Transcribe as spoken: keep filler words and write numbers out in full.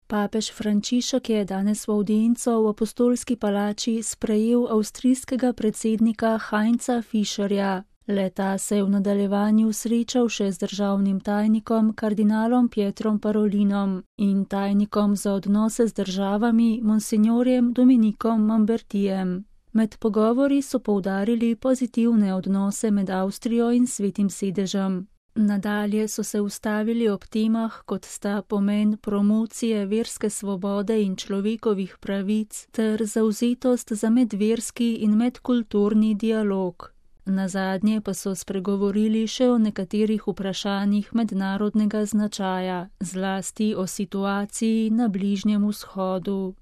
Papež Frančišek je danes v avdienco v Apostolski palači sprejel avstrijskega predsednika Heinza Fischerja. Le-ta se je v nadaljevanju srečal še z državnim tajnikom kardinalom Pietrom Parolinom in tajnikom za odnose z državami monsignorjem Dominikom Mambertijem. Med pogovori so poudarili pozitivne odnose med Avstrijo in Svetim sedežem. Nadalje so se ustavili ob temah, kot sta pomen promocije verske svobode in človekovih pravic ter zavzetost za medverski in medkulturni dialog. Nazadnje pa so spregovorili še o nekaterih vprašanjih mednarodnega značaja, zlasti o situaciji na Bližnjem vzhodu.